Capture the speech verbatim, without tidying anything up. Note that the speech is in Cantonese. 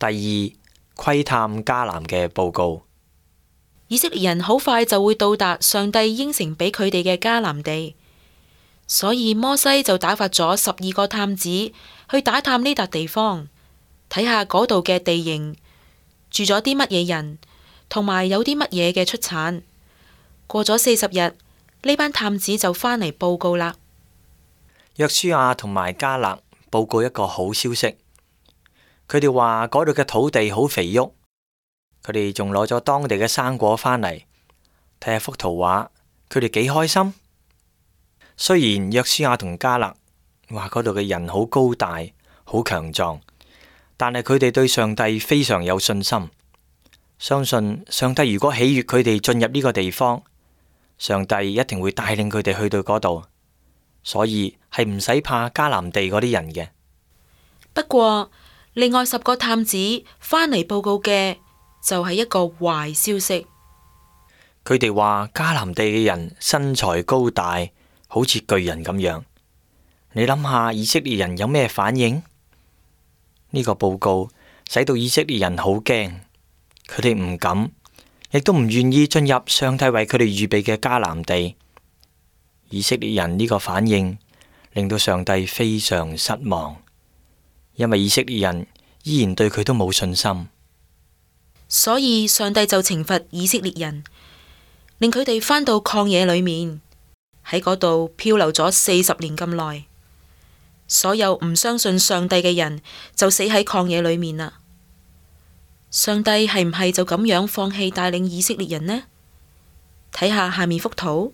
第二，窺探迦南嘅報告。以色列人好快就會到達上帝應承俾佢哋嘅迦南地，所以摩西就打發咗十二個探子去打探呢笪地方，睇下嗰度嘅地形，住咗啲乜嘢人，同埋有啲乜嘢嘅出產。過咗四十日，呢班探子就返嚟報告啦。約書亞同埋迦勒報告一個好消息，佢哋話嗰度嘅土地好肥沃，佢哋仲攞咗當地嘅生果返嚟，睇下幅圖畫，佢哋幾開心。雖然約書亞同迦勒話嗰度嘅人好高大、好強壯，但係佢哋對上帝非常有信心，相信上帝如果喜悅佢哋進入呢個地方，上帝一定會帶領佢哋去到嗰度，所以係唔使怕迦南地嗰啲人嘅。不過，另外十個探子返嚟報告嘅就係一個壞消息。佢哋話迦南地嘅人身材高大，好似巨人咁樣。你諗下以色列人有咩反應？呢個報告使到以色列人好驚，佢哋唔敢，亦都唔願意進入上帝為佢哋預備嘅迦南地。以色列人呢個反應令到上帝非常失望，因為以色列人依然對佢都冇信心，所以上帝就懲罰以色列人，令佢哋返到曠野裏面，喺嗰度漂流咗四十年咁耐。所有唔相信上帝嘅人就死喺曠野裏面啦。上帝係唔係就咁樣放棄帶領以色列人呢？睇下下面幅圖。